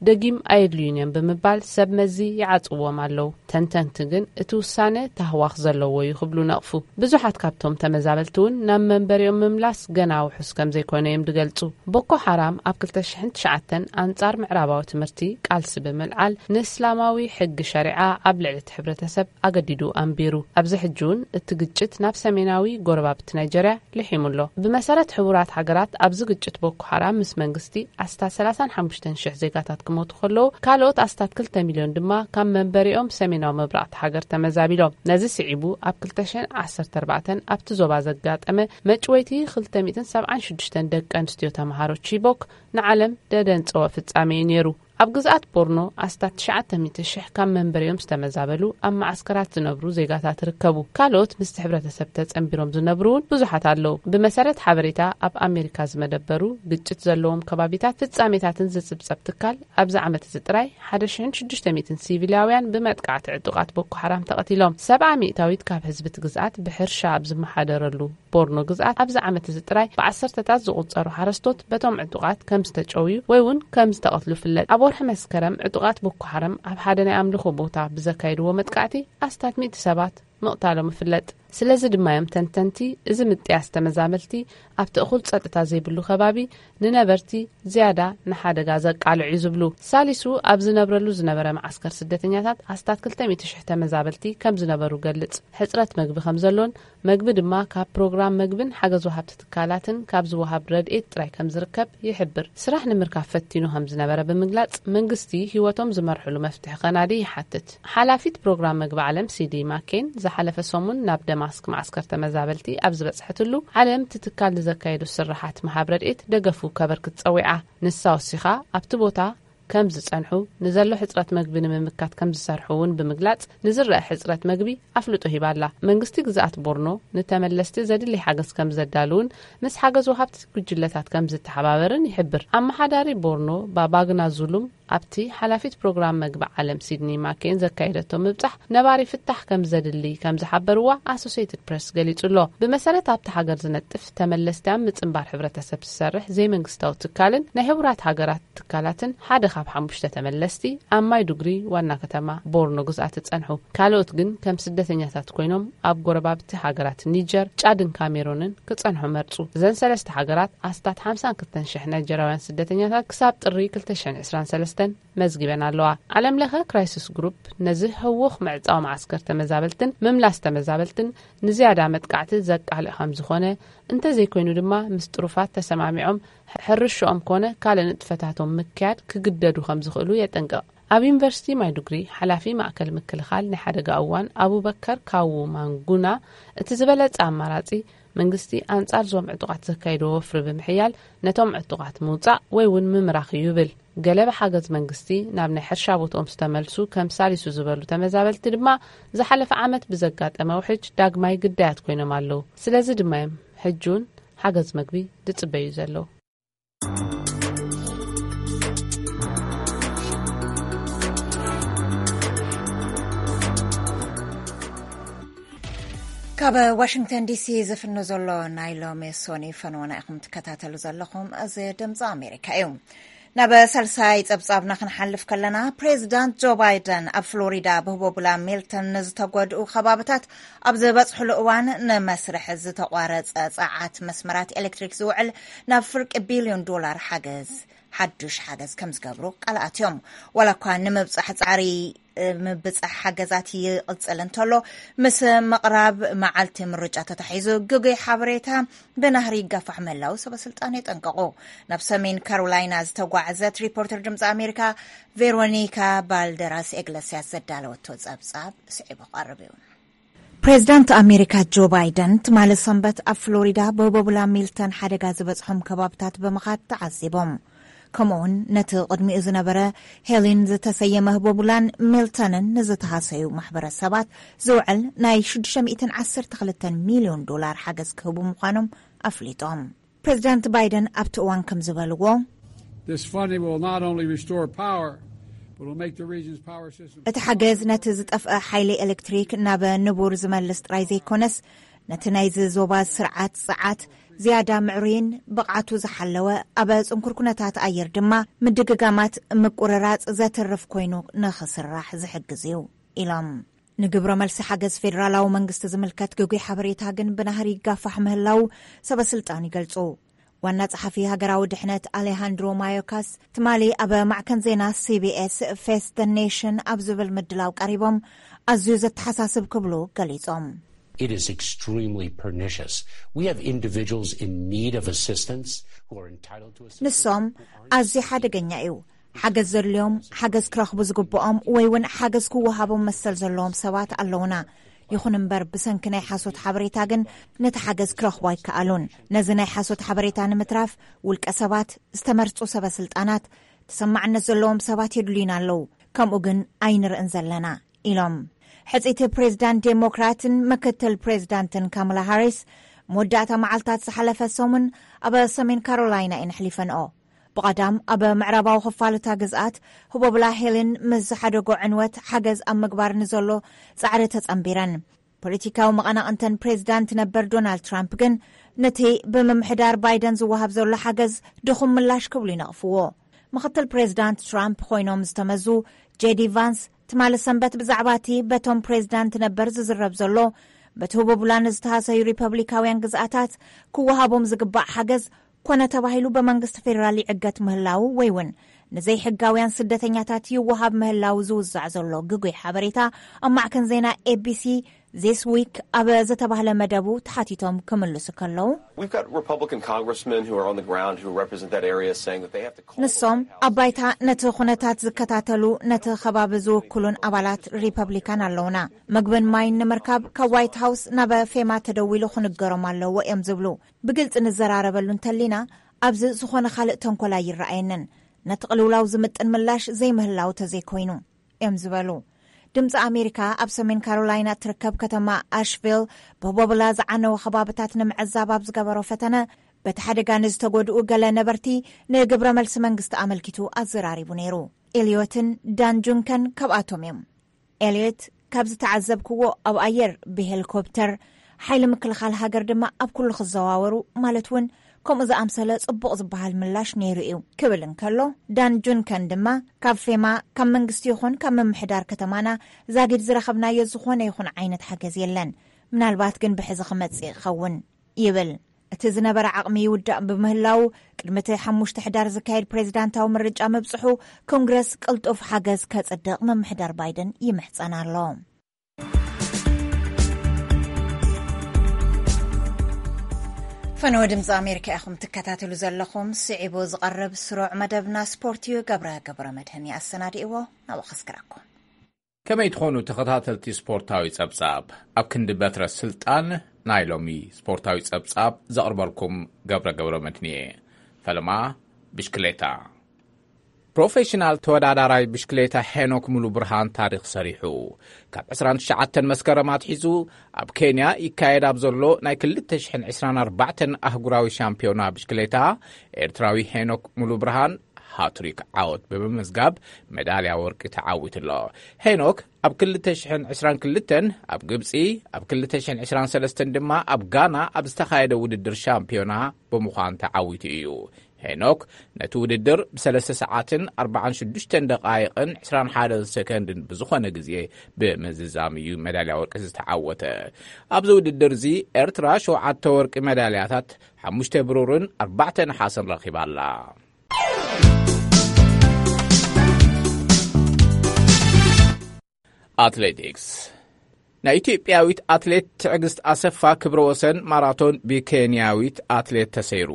ደጊም ኣየድልዩን እዮም ብምባል ሰብ መዚ ይዓጽዎም ኣለዉ። ተንተንቲ ግን እቲ ውሳነ ታህዋኽ ዘለዎ እዩ ክብሉ ነቕፉ። ብዙሓት ካብቶም ተመዛበልቲ እውን ናብ መንበሪኦም ምምላስ ገና ውሑስ ከም ዘይኮነ እዮም ዝገልጹ። ቦኮ ሓራም ኣብ ክልተ ሽሕን ትሽዓተን ኣንጻር ምዕራባዊ ትምህርቲ ቃልሲ ብምልዓል ንእስላማዊ ሕጊ ሸሪዓ ኣብ ልዕሊ እቲ ሕብረተሰብ ኣገዲዱ ኣንቢሩ። ኣብዚ ሕጂ እውን እቲ ግጭት ናብ ሰሜናዊ ጎረባብቲ ናይጀርያ ልሒሙ ኣሎ። ብመሰረት ሕቡራት ሃገራት ኣብዚ ግጭት ቦኮ ሓራም ምስ መንግስቲ ኣስታት ሰላሳን ሓሙሽተን ሽሕ ዜጋታት ክሞቱ ከለዉ ካልኦት ኣስታት ክልተ ሚልዮን ድማ ካብ መንበሪኦም ሰሜናዊ ምብራቕቲ ሃገር ተመዛቢሎም። ነዚ ስዒቡ ኣብ ክልተ ሽሕን ዓሰርተ ኣርባዕተን ኣብቲ ዞባ ዘጋጠመ መጭወይቲ ክልተ ሚእትን ሰብዓን ሽዱሽተን ደቂ ኣንስትዮ ተምሃሮ ቺቦክ ንዓለም ደደንጸወ ፍጻሜ እዩ ነይሩ። ኣብ ግዝኣት ቦርኖ ኣስታት ትሽዓተ ሚእቲ ሽሕ ካብ መንበሪኦም ዝተመዛበሉ ኣብ መዓስከራት ዝነብሩ ዜጋታት ይርከቡ። ካልኦት ምስቲ ሕብረተሰብ ተጸንቢሮም ዝነብሩ እውን ብዙሓት ኣለዉ። ብመሰረት ሓበሬታ ኣብ ኣሜሪካ ዝመደበሩ ግጭት ዘለዎም ከባቢታት ፍጻሜታትን ዝጽብጸብ ትካል፣ ኣብዚ ዓመት እዚ ጥራይ ሓደ ሽሕን ሽዱሽተ ሚእትን ሲቪላውያን ብመጥቃዕቲ ዕጡቓት ቦኮ ሓራም ተቐቲሎም። ሰብዓ ሚእታዊት ካብ ህዝቢ እቲ ግዝኣት ብሕርሻ ኣብ ዝመሓደረሉ ቦርኖ ግዝኣት ኣብዚ ዓመት እዚ ጥራይ ብዓሰርተታት ዝቑጸሩ ሓረስቶት በቶም ዕጡቓት ከም ዝተጨውዩ ወይ እውን ከም ዝተቐትሉ ይፍለጥ። ኣብ ወርሒ መስከረም ዕጡቓት ቦኮ ሓራም ኣብ ሓደ ናይ ኣምልኾ ቦታ ብዘካየድዎ መጥቃዕቲ ኣስታት ሚእቲ ሰባት ምቕታሎም ይፍለጥ። ስለዚ ድማ እዮም ተንተንቲ፣ እዚ ምጥያስ ተመዛበልቲ ኣብቲ እኹል ጸጥታ ዘይብሉ ከባቢ ንነበርቲ ዝያዳ ንሓደጋ ዘቃልዕ እዩ ዝብሉ። ሳሊሱ ኣብ ዝነብረሉ ዝነበረ መዓስከር ስደተኛታት ኣስታት ክልተ ሚእቲ ሽሕ ተመዛበልቲ ከም ዝነበሩ ገልጽ። ሕጽረት መግቢ ከም ዘሎን መግቢ ድማ ካብ ፕሮግራም መግብን ሓገዝ ወሃብቲ ትካላትን ካብ ዝወሃብ ረድኤት ጥራይ ከም ዝርከብ ይሕብር። ስራሕ ንምርካብ ፈቲኑ ከም ዝነበረ ብምግላጽ፣ መንግስቲ ህይወቶም ዝመርሕሉ መፍትሒ ከናዲ ይሓትት። ሓላፊት ፕሮግራም መግቢ ዓለም ሲዲ ማኬን ዝሓለፈ ሰሙን ናብ ደማስክ መዓስከር ተመዛበልቲ ኣብ ዝበጽሐትሉ፣ ዓለም እቲ ትካል ንዘካየዱ ስርሓት ምሃብ ረድኤት ደገፉ ከበርክት ጸዊዓ። ንሳ ወሲኻ ኣብቲ ቦታ ከም ዝጸንሑ፣ ንዘሎ ሕጽረት መግቢ ንምምካት ከም ዝሰርሑ እውን ብምግላጽ፣ ንዝረአ ሕጽረት መግቢ ኣፍልጦ ሂባ ኣላ። መንግስቲ ግዝኣት ቦርኖ ንተመለስቲ ዘድሊ ሓገዝ ከም ዘዳልውን ምስ ሓገዝ ወሃብቲ ጉጅለታት ከም ዝተሓባበርን ይሕብር። ኣመሓዳሪ ቦርኖ ባባግና ዙሉም ኣብቲ ሓላፊት ፕሮግራም መግቢ ዓለም ሲድኒ ማኬን ዘካየደቶ ምብጻሕ ነባሪ ፍታሕ ከም ዘድሊ ከም ዝሓበርዋ ኣሶሴይትድ ፕሬስ ገሊጹ ኣሎ። ብመሰረት ኣብቲ ሃገር ዝነጥፍ ተመለስቲ ኣብ ምጽንባር ሕብረተሰብ ዝሰርሕ ዘይመንግስታዊ ትካልን ናይ ሕቡራት ሃገራት ትካላትን ሓደ ካብ ሓሙሽተ ተመለስቲ ኣብ ማይዱግሪ ዋና ከተማ ቦርኖ ግዝኣት ጸንሑ። ካልኦት ግን ከም ስደተኛታት ኮይኖም ኣብ ጎረባብቲ ሃገራት ኒጀር፣ ጫድን ካሜሮንን ክጸንሑ መርጹ። እዘን ሰለስተ ሃገራት ኣስታት ሓምሳን ክልተን ሽሕ ናይጀራውያን ስደተኛታት ክሳብ ጥሪ ክልተ ሽሕን ዕስራን ሰለስተን መዝጊበን ኣለዋ። ዓለም ለኸ ክራይሲስ ግሩፕ ነዚ ህውኽ ምዕጻው መዓስከር ተመዛበልትን ምምላስ ተመዛበልትን ንዝያዳ መጥቃዕቲ ዘቃልዕ ከም ዝኾነ፣ እንተዘይኮይኑ ድማ ምስ ጥሩፋት ተሰማሚዖም ሕርሽኦም ኮነ ካልእ ንጥፈታቶም ምክያድ ክግደዱ ከም ዝኽእሉ የጠንቅቕ። ኣብ ዩኒቨርሲቲ ማይዱግሪ ሓላፊ ማእከል ምክልኻል ናይ ሓደጋ እዋን ኣቡበከር ካዉ ማንጉና፣ እቲ ዝበለጸ ኣማራጺ መንግስቲ ኣንጻር ዞም ዕጡቓት ዘካየድዎ ወፍሪ ብምሕያል ነቶም ዕጡቓት ምውጻእ ወይ እውን ምምራኽ እዩ ይብል። ገለ ብሓገዝ መንግስቲ ናብ ናይ ሕርሻ ቦትኦም ዝተመልሱ ከም ሳሊሱ ዝበሉ ተመዛበልቲ ድማ ዝሓለፈ ዓመት ብዘጋጠመ ውሕጅ ዳግማይ ግዳያት ኮይኖም ኣለዉ። ስለዚ ድማ እዮም ሕጂ እውን ሓገዝ መግቢ ዝጽበዩ ዘለዉ። ካብ ዋሽንግተን ዲሲ ዝፍኖ ዘሎ ናይ ሎሚ ሶኒ ፈነወና ኢኹም ትከታተሉ ዘለኹም። እዚ ድምፂ ኣሜሪካ እዩ። ናብ ሳልሳይ ጸብጻብና ክንሓልፍ ከለና፣ ፕሬዚዳንት ጆ ባይደን ኣብ ፍሎሪዳ ብህቦቡላ ሚልተን ንዝተጎድኡ ከባብታት ኣብ ዝበጽሕሉ እዋን ንመስርሕ ዝተቋረጸ ጸዓት መስመራት ኤሌክትሪክ ዝውዕል ናብ ፍርቂ ቢልዮን ዶላር ሓገዝ፣ ሓዱሽ ሓገዝ ከም ዝገብሩ ቃል ኣትዮም። ዋላ እኳ ንምብጻሕ ጻዕሪ፣ ምብጻሕ ሓገዛት ይቕጽል እንተሎ፣ ምስ ምቕራብ መዓልቲ ምርጫ ተታሒዙ ግጉይ ሓበሬታ ብናህሪ ይጋፋሕ ምህላው ሰበ ስልጣን የጠንቀቑ። ናብ ሰሜን ካሮላይና ዝተጓዕዘት ሪፖርተር ድምፂ ኣሜሪካ ቬሮኒካ ባልደራስ ኤግለስያስ ዘዳለወቶ ጸብጻብ ስዒቡ ክቐርብ እዩ። ፕሬዚዳንት ኣሜሪካ ጆ ባይደን ትማሊ ሰንበት ኣብ ፍሎሪዳ ብቦቡላ ሚልተን ሓደጋ ዝበጽሖም ከባብታት ብምኻድ ተዓዚቦም። ከምኡውን ነቲ ቅድሚኡ ዝነበረ ሄሊን ዝተሰየመ ህቦቡላን ሚልተንን ንዝተሃሰዩ ማሕበረሰባት ዝውዕል ናይ ሽዱሽተ ሚእትን ዓሰርተ ክልተን ሚልዮን ዶላር ሓገዝ ክህቡ ምዃኖም ኣፍሊጦም። ፕሬዚዳንት ባይደን ኣብቲ እዋን ከም ዝበልዎ፣ This funding will not only restore power, but will make the region's power system እቲ ሓገዝ ነቲ ዝጠፍአ ሓይሊ ኤሌክትሪክ ናብ ንቡር ዝመልስ ጥራይ ዘይኮነስ፣ ነቲ ናይዚ ዞባ ስርዓት ጸዓት ዝያዳ ምዕሩይን ብቕዓቱ ዝሓለወ፣ ኣብ ጽንኩር ኩነታት ኣየር ድማ ምድግጋማት ምቁርራጽ ዘትርፍ ኮይኑ ንኽስራሕ ዝሕግዝ እዩ ኢሎም። ንግብረ መልሲ ሓገዝ ፌደራላዊ መንግስቲ ዝምልከት ግጉይ ሓበሬታ ግን ብናህሪ ይጋፋሕ ምህላው ሰበ ስልጣን ይገልጹ። ዋና ጸሓፊ ሃገራዊ ድሕነት ኣሌሃንድሮ ማዮካስ ትማሊ ኣብ ማዕከን ዜና ሲቢኤስ ፌስ ደ ኔሽን ኣብ ዝብል ምድላው ቀሪቦም፣ ኣዝዩ ዘተሓሳስብ ክብሉ ገሊጾም። It is extremely pernicious. We have individuals in need of assistance who are entitled to assistance. ንሶም ኣዝዩ ሓደገኛ እዩ። ሓገዝ ዘድልዮም፣ ሓገዝ ክረኽቡ ዝግብኦም ወይ እውን ሓገዝ ክወሃቦም መሰል ዘለዎም ሰባት ኣለውና። ይኹን እምበር፣ ብሰንኪ ናይ ሓሶት ሓበሬታ ግን ነቲ ሓገዝ ክረኽቡ ኣይከኣሉን። ነዚ ናይ ሓሶት ሓበሬታ ንምትራፍ፣ ውልቀ ሰባት፣ ዝተመርጹ ሰበ ስልጣናት፣ ተሰማዕነት ዘለዎም ሰባት የድልዩና ኣለዉ፣ ከምኡ ግን ኣይንርእን ዘለና ኢሎም። ሕጽይቲ ፕሬዝዳንት ዴሞክራትን ምክትል ፕሬዝዳንትን ካማላ ሃሪስ መወዳእታ መዓልታት ዝሓለፈ ሰሙን ኣብ ሰሜን ካሮላይና እየን ኣሕሊፈንኦ። ብቐዳም ኣብ ምዕራባዊ ክፋል እታ ግዝኣት ህቦብላ ሄልን ምስ ዝሓደጎ ዕንወት ሓገዝ ኣብ ምግባር ንዘሎ ጻዕሪ ተጸንቢረን። ፖለቲካዊ መቐናቕንተን ፕሬዝዳንት ነበር ዶናልድ ትራምፕ ግን ነቲ ብምምሕዳር ባይደን ዝወሃብ ዘሎ ሓገዝ ድኹም ምላሽ ክብሉ ይነቕፍዎ። ምኽትል ፕሬዝዳንት ትራምፕ ኮይኖም ዝተመዙ ጄዲ ቫንስ ትማሊ ሰንበት ብዛዕባ እቲ በቶም ፕሬዝዳንት ነበር ዝዝረብ ዘሎ በቲ ህቦብላ ንዝተሃሰዩ ሪፐብሊካውያን ግዝኣታት ክወሃቦም ዝግባእ ሓገዝ ኮነ ተባሂሉ ብመንግስቲ ፌደራል ይዕገት ምህላዉ ወይ እውን ንዘይሕጋውያን ስደተኛታት ይወሃብ ምህላዉ ዝውዛዕ ዘሎ ግጉይ ሓበሬታ ኣብ ማዕከን ዜና ኤቢሲ ዚስ ዊክ ኣብ ዝተባህለ መደቡ ተሓቲቶም ክምልሱ ከለዉ፣ We've got Republican congressmen who are on the ground who represent that area saying that they have to call the ንሶም White House ኣብ ባይታ ነቲ ኩነታት ዝከታተሉ፣ ነቲ ከባቢ ዝውክሉን ኣባላት ሪፐብሊካን ኣለውና። ምግብን ማይን ንምርካብ ካብ ዋይት ሃውስ ናብ ፌማ ተደዊሉ ክንገሮም ኣለዎ እዮም ዝብሉ። ብግልጺ ንዘራረበሉ እንተሊና፣ ኣብዚ ዝኾነ ካልእ ተንኮል ኣይረኣየንን። ነቲ ቅልውላው ዝምጥን ምላሽ ዘይምህላው ተዘይኮይኑ እዮም ዝበሉ። ድምፂ ኣሜሪካ ኣብ ሰሜን ካሮላይና እትርከብ ከተማ ኣሽቪል ብቦብላ ዝዓነወ ከባብታት ንምዕዛብ ኣብ ዝገበሮ ፈተነ፣ በቲ ሓደጋ ንዝተጎድኡ ገለ ነበርቲ ንግብረ መልሲ መንግስቲ ኣመልኪቱ ኣዘራሪቡ ነይሩ። ኤልዮትን ዳን ጁንከን ካብኣቶም እዮም። ኤልዮት፣ ካብ ዝተዓዘብክዎ ኣብ ኣየር ብሄሊኮፕተር፣ ሓይሊ ምክልኻል ሃገር ድማ ኣብ ኩሉ ክዘዋወሩ፣ ማለት እውን ከምኡ ዝኣምሰለ ጽቡቕ ዝበሃል ምላሽ ነይሩ እዩ ክብል እንከሎ፣ ዳን ጁንከን ድማ ካብ ፌማ፣ ካብ መንግስቲ ይኹን ካብ ምምሕዳር ከተማና ዛጊድ ዝረኸብናዮ ዝኾነ ይኹን ዓይነት ሓገዝ የለን። ምናልባት ግን ብሕዚ ክመጽእ ይኸውን ይብል። እቲ ዝነበረ ዓቕሚ ይውዳእ ብምህላው፣ ቅድሚ እቲ ሓሙሽተ ሕዳር ዝካየድ ፕሬዚዳንታዊ ምርጫ ምብጽሑ፣ ኮንግረስ ቅልጡፍ ሓገዝ ከጽድቕ ምምሕዳር ባይደን ይምሕጸን ኣሎ። ፈነወ ድምፂ ኣሜሪካ ኢኹም ትከታተሉ ዘለኹም። ስዒቡ ዝቐርብ ስሩዕ መደብና ስፖርት እዩ። ገብረ ገብረ መድህን ይኣሰናድእዎ፣ ናብኡ ከስክረኩም። ከመይ ትኾኑ ተኸታተልቲ ስፖርታዊ ጸብጻብ? ኣብ ክንዲ በትረ ስልጣን ናይ ሎሚ ስፖርታዊ ጸብጻብ ዘቕርበልኩም ገብረ ገብረ መድህን እየ። ፈለማ ብሽክሌታ። ፕሮፌሽናል ተወዳዳራይ ብሽክሌታ ሄኖክ ሙሉ ብርሃን ታሪኽ ሰሪሑ። ካብ ዕስራን ትሽዓተን መስከረም ኣትሒዙ ኣብ ኬንያ ይካየድ ኣብ ዘሎ ናይ ክልተ ሽሕን ዕስራን ኣርባዕተን ኣህጉራዊ ሻምፒዮና ብሽክሌታ፣ ኤርትራዊ ሄኖክ ሙሉ ብርሃን ሃትሪክ ዓወት ብምምዝጋብ ሜዳልያ ወርቂ ተዓዊቱ ኣሎ። ሄኖክ ኣብ ክልተ ሽሕን ዕስራን ክልተን ኣብ ግብጺ፣ ኣብ ክልተ ሽሕን ዕስራን ሰለስተን ድማ ኣብ ጋና ኣብ ዝተኻየደ ውድድር ሻምፒዮና ብምዃን ተዓዊቱ እዩ። ሄኖክ ነቲ ውድድር ብሰለስተ ሰዓትን ኣርባዓን ሽዱሽተን ደቓይቕን ዕስራን ሓደን ሰከንድን ብዝኾነ ግዜ ብምዝዛም እዩ መዳልያ ወርቂ ዝተዓወተ። ኣብዚ ውድድር እዚ ኤርትራ ሸውዓተ ወርቂ መዳልያታት፣ ሓሙሽተ ብሩርን ኣርባዕተ ነሓስን ረኺባ ኣላ። ኣትሌቲክስ። ናይ ኢትዮጵያዊት ኣትሌት ትዕግስት ኣሰፋ ክብረ ወሰን ማራቶን ብኬንያዊት ኣትሌት ተሰይሩ።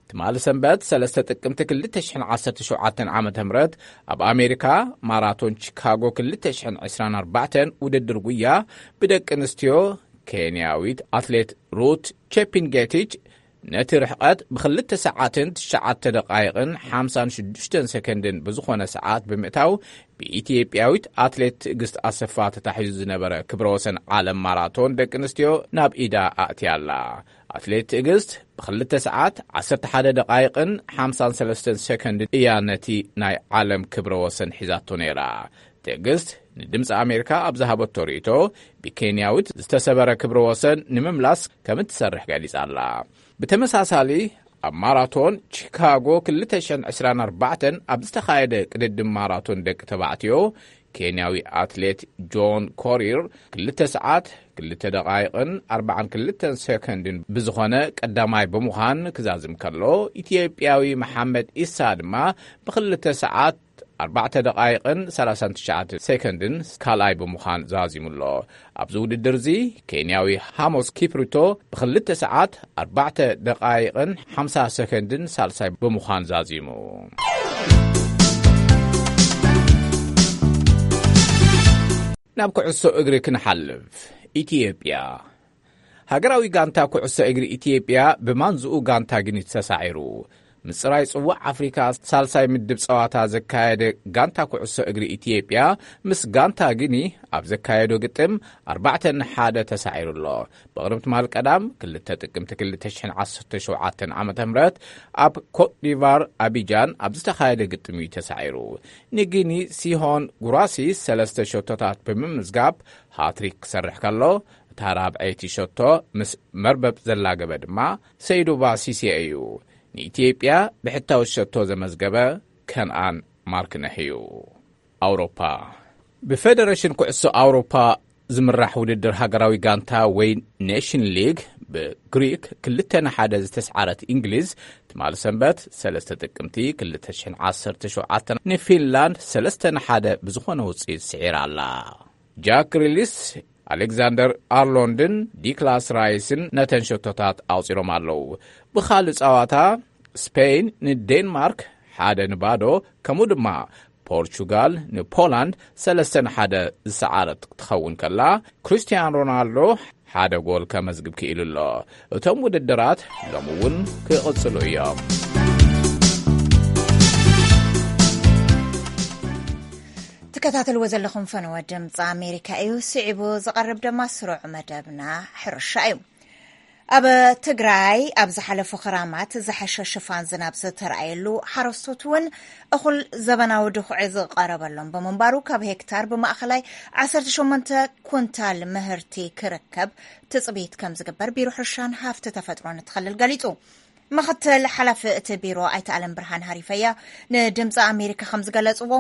ትማሊ ሰንበት ሰለስተ ጥቅምቲ ክልተ ሽሕን ዓሰርተ ሸውዓተን ዓመተ ምህረት ኣብ ኣሜሪካ ማራቶን ቺካጎ ክልተ ሽሕን ዕስራን ኣርባዕተን ውድድር ጉያ ብደቂ ኣንስትዮ፣ ኬንያዊት ኣትሌት ሩት ቼፒንጌቲች ነቲ ርሕቐት ብክልተ ሰዓትን ትሽዓተ ደቓይቕን ሓምሳን ሽዱሽተን ሰከንድን ብዝኾነ ሰዓት ብምእታው፣ ብኢትዮጵያዊት ኣትሌት ትዕግስት ኣሰፋ ተታሒዙ ዝነበረ ክብረ ወሰን ዓለም ማራቶን ደቂ ኣንስትዮ ናብ ኢዳ ኣእትያ ኣላ። ኣትሌት ትዕግስት ብክልተ ሰዓት ዓሰርተ ሓደ ደቓይቕን ሓምሳን ሰለስተን ሰከንድን እያ ነቲ ናይ ዓለም ክብረ ወሰን ሒዛቶ ነይራ። ትዕግስት ንድምፂ ኣሜሪካ ኣብ ዝሃበቶ ርእይቶ፣ ብኬንያዊት ዝተሰበረ ክብረ ወሰን ንምምላስ ከም እትሰርሕ ገሊጻ ኣላ። ብተመሳሳሊ፣ ኣብ ማራቶን ቺካጎ ክልተ ሽሕን ዕስራን ኣርባዕተን ኣብ ዝተኻየደ ቅድድም ማራቶን ደቂ ተባዕትዮ፣ ኬንያዊ ኣትሌት ጆን ኮሪር ክልተ ሰዓት፣ ክልተ ደቓይቕን ኣርባዓን ክልተን ሰከንድን ብዝኾነ ቀዳማይ ብምዃን ክዛዝም ከሎ፣ ኢትዮጵያዊ መሓመድ ኢሳ ድማ ብክልተ ሰዓት፣ ኣርባዕተ ደቓይቕን ሰላሳን ትሽዓተ ሰከንድን ካልኣይ ብምዃን ዛዚሙ ኣሎ። ኣብዚ ውድድር እዚ፣ ኬንያዊ ሃሞስ ኪፕሩቶ ብክልተ ሰዓት፣ ኣርባዕተ ደቓይቕን ሓምሳ ሰከንድን ሳልሳይ ብምዃን ዛዚሙ። ናብ ኩዕሶ እግሪ ክንሓልፍ። ኢትዮጵያ። ሃገራዊ ጋንታ ኩዕሶ እግሪ ኢትዮጵያ ብማንዝኡ ጋንታ ግኒት ተሳዒሩ። ምጽራይ ጽዋዕ ኣፍሪካ ሳልሳይ ምድብ ጸዋታ ዘካየደ ጋንታ ኩዕሶ እግሪ ኢትዮጵያ ምስ ጋንታ ጊኒ ኣብ ዘካየዶ ግጥም ኣርባዕተ ንሓደ ተሳዒሩ ኣሎ። ብቕድሚ ትማል ቀዳም ክልተ ጥቅምቲ ክልተ ሽሕን ዓሰርተ ሸውዓተን ዓመተ ምህረት ኣብ ኮትዲቫር ኣቢጃን ኣብ ዝተኻየደ ግጥም እዩ ተሳዒሩ። ንጊኒ ሲሆን ጉራሲ ሰለስተ ሸቶታት ብምምዝጋብ ሃትሪክ ክሰርሕ ከሎ፣ እታ ራብዐይቲ ሸቶ ምስ መርበብ ዘላገበ ድማ ሰይዱባ ሲሴ እዩ። ንኢትዮጵያ ብሕታዊ ሸቶ ዘመዝገበ ከንኣን ማርክነህ እዩ። ኣውሮፓ። ብፌደሬሽን ኩዕሶ ኣውሮፓ ዝምራሕ ውድድር ሃገራዊ ጋንታ ወይ ኔሽን ሊግ ብግሪክ ክልተ ንሓደ ዝተስዓረት እንግሊዝ፣ ትማሊ ሰንበት ሰለስተ ጥቅምቲ ክልተ ሽሕን ዓሰርተ ሸውዓተን ንፊንላንድ ሰለስተ ንሓደ ብዝኾነ ውጽኢት ስዒራ ኣላ። ጃክ ሪሊስ፣ ኣሌክዛንደር ኣርሎንድን ዲክላስ ራይስን ነተን ሸቶታት ኣውጺሮም ኣለዉ። ብኻልእ ጸዋታ ስፔን ንዴንማርክ ሓደ ንባዶ፣ ከምኡ ድማ ፖርቹጋል ንፖላንድ ሰለስተ ንሓደ ዝሰዓረት ክትኸውን ከላ፣ ክርስቲያን ሮናልዶ ሓደ ጎል ከመዝግብ ክኢሉ ኣሎ። እቶም ውድድራት ሎሚ እውን ክቕጽሉ እዮም። ትከታተልዎ ዘለኹም ፈነወ ድምፂ ኣሜሪካ እዩ። ስዒቡ ዝቐርብ ድማ ስሩዕ መደብና ሕርሻ እዩ። ኣብ ትግራይ ኣብ ዝሓለፉ ክራማት ዝሐሸ ሽፋን ዝናብ ዝተረኣየሉ፣ ሓረስቶት እውን እኹል ዘበናዊ ድኹዒ ዝቐረበሎም ብምንባሩ፣ ካብ ሄክታር ብማእኸላይ ዓሰርተ ሸሞንተ ኩንታል ምህርቲ ክርከብ ትፅቢት ከም ዝግበር ቢሮ ሕርሻን ሃፍቲ ተፈጥሮን እቲ ክልል ገሊፁ። ምኽትል ሓላፊ እቲ ቢሮ ኣይተ ኣለም ብርሃን ሃሪፈያ ንድምፂ ኣሜሪካ ከም ዝገለፅዎ፣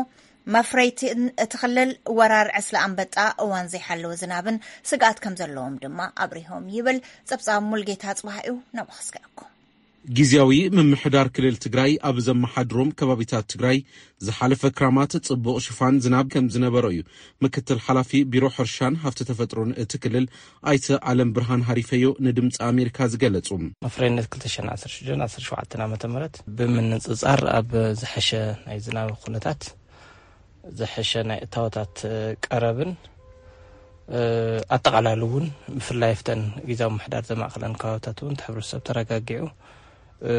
መፍረይትን እቲ ክልል ወራር ዕስለ ኣንበጣ እዋን ዘይሓለወ ዝናብን ስግኣት ከም ዘለዎም ድማ ኣብሪሆም ይብል። ጸብጻብ ሙልጌታ ጽባህ እዩ፣ ናብኡ ክስግኣኩም። ግዝያዊ ምምሕዳር ክልል ትግራይ ኣብ ዘመሓድሮም ከባቢታት ትግራይ ዝሓለፈ ክራማት ጽቡቕ ሽፋን ዝናብ ከም ዝነበሮ እዩ ምክትል ሓላፊ ቢሮ ሕርሻን ሃፍቲ ተፈጥሮን እቲ ክልል ኣይተ ኣለም ብርሃን ሃሪፈዮ ንድምፂ ኣሜሪካ ዝገለጹ። መፍረይነት ክልተ ሽሕን ዓሰርተ ሽዱሽተን ዓሰርተ ሸውዓተን ዓመተ ምህረት ብምንጽጻር ኣብ ዝሐሸ ናይ ዝናብ ኩነታት፣ ዝሐሸ ናይ እታወታት ቀረብን፣ እ፣ ኣጠቓላሊ እውን ብፍላይ ኣብተን ግዝያዊ ምምሕዳር ዘማእከለን ከባብታት እውን እቲ ሕብረተሰብ ተረጋጊዑ፣ እ፣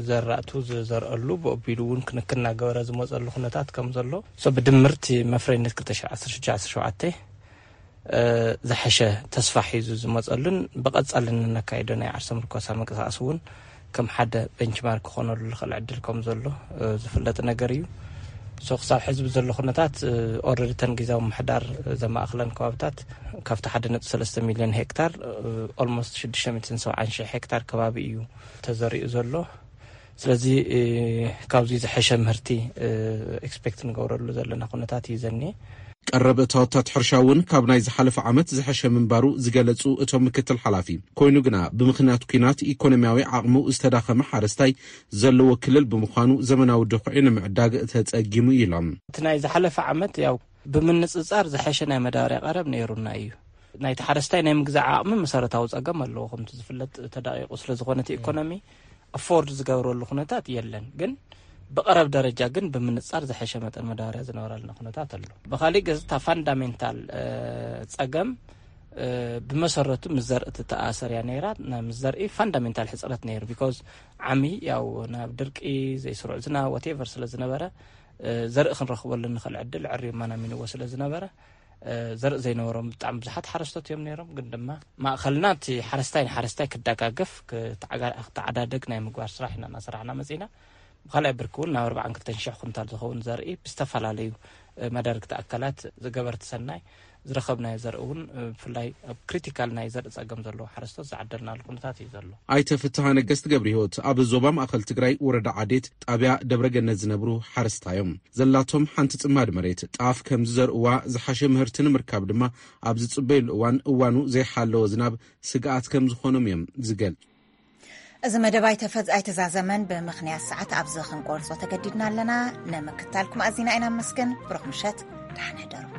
ዘራእቱ ዝዘርአሉ ብኦቢሉ እውን ክንክን እናገበረ ዝመፀሉ ኩነታት ከም ዘሎ፣ ሶ ብድምርቲ መፍረይነት ክልተ ሽሕን ዓሰርተ ሽዱሽተ ዓሰርተ ሸውዓተ፣ እ፣ ዝሐሸ ተስፋ ሒዙ ዝመፀሉን ብቐፃሊ እንነካይዶ ናይ ዓርሰ ምርኮሳ ምንቅስቃስ እውን ከም ሓደ ቤንችማርክ ክኾነሉ ዝኽእል ዕድል ከም ዘሎ፣ እ፣ ዝፍለጥ ነገር እዩ። ሶ ክሳብ ሕዚ ብዘሎ ኩነታት፣ እ፣ ኦልሬዲ እተን ግዝያዊ ምምሕዳር ዘማእክለን ከባብታት ካብቲ ሓደ ነጥቢ ሰለስተ ሚልዮን ሄክታር፣ እ፣ ኦልሞስት ሽዱሽተ ሚእትን ሰብዓን ሺሕ ሄክታር ከባቢ እዩ ተዘሪኡ ዘሎ። ስለዚ፣ እ፣ ካብዚ ዝሐሸ ምህርቲ፣ እ፣ ኤክስፔክት ንገብረሉ ዘለና ኩነታት እዩ ዘኒኤ። ቀረብ እታወታት ሕርሻ እውን ካብ ናይ ዝሓለፈ ዓመት ዝሐሸ ምንባሩ ዝገለጹ እቶም ምክትል ሓላፊ፣ ኮይኑ ግና ብምኽንያት ኲናት ኢኮኖሚያዊ ዓቕሙ ዝተዳኸመ ሓረስታይ ዘለዎ ክልል ብምዃኑ ዘመናዊ ድኹዒ ንምዕዳግ ተጸጊሙ ኢሎም። እቲ ናይ ዝሓለፈ ዓመት ያው ብምንጽጻር ዝሐሸ ናይ መዳበርያ ቀረብ ነይሩና እዩ። ናይቲ ሓረስታይ ናይ ምግዛእ ዓቕሚ መሰረታዊ ጸገም ኣለዎ። ከምቲ ዝፍለጥ ተዳቂቑ ስለ ዝኾነ እቲ ኢኮኖሚ ኣፎርድ ዝገብረሉ ኩነታት የለን። ግን ብቐረብ ደረጃ ግን ብምንጻር ዝሐሸ መጠን መዳበርያ ዝነበረልና ኩነታት ኣሎ። ብኻሊእ ገጽ እታ ፋንዳሜንታል፣ እ፣ ጸገም፣ እ፣ ብመሰረቱ ምስ ዘርኢ ትተኣሰር እያ ነይራ። ናይ ምስ ዘርኢ ፋንዳሜንታል ሕጽረት ነይሩ። ቢኮዝ ዓሚ ያው ናብ ድርቂ፣ ዘይስሩዕ ዝናብ፣ ዋቴቨር ስለ ዝነበረ፣ እ፣ ዘርኢ ክንረኽበሉ እንኽእል ዕድል ዕሪማ ናሚንዎ ስለ ዝነበረ፣ እ፣ ዘርኢ ዘይነበሮም ብጣዕሚ ብዙሓት ሓረስቶት እዮም ነይሮም። ግን ድማ ማእኸልና እቲ ሓረስታይ ንሓረስታይ ክደጋገፍ፣ ክተዓጋ-፣ ክተዓዳደግ ናይ ምግባር ስራሕ ኢና እናሰራሕና መፂና። ብኻልኣይ ብርኪ እውን ናብ ኣርባዓን ክልተን ሽሕ ኩንታል ዝኸውን ዘርኢ ብዝተፈላለዩ፣ እ፣ መዳርግቲ ኣካላት ዝገበርቲ ሰናይ ዝረኸብናዮ ዘርኢ እውን፣ እ፣ ብፍላይ ኣብ ክሪቲካል ናይ ዘርኢ ጸገም ዘለዎ ሓረስቶት ዝዓደልናሉ ኩነታት እዩ ዘሎ። ኣይተ ፍትሃ ነገስት ገብረ ህይወት ኣብ ዞባ ማእኸል ትግራይ ወረዳ ዓዴት ጣብያ ደብረ ገነት ዝነብሩ ሓረስታ እዮም። ዘላቶም ሓንቲ ጽማድ መሬት ጣፍ ከም ዝዘርእዋ፣ ዝሓሸ ምህርቲ ንምርካብ ድማ ኣብ ዝጽበዩሉ እዋን እዋኑ ዘይሓለወ ዝናብ ስግኣት ከም ዝኾኖም እዮም ዝገልጹ። እዚ መደብ ኣይተፈዝ-፣ ኣይተዛዘመን፣ ብምኽንያት ሰዓት ኣብዚ ክንቆርጾ ተገዲድና ኣለና። ንምክትታልኩም ኣዚና ኢና ነመስግን። ብሩኽ ምሸት፣ ደሓን ሕደሩ።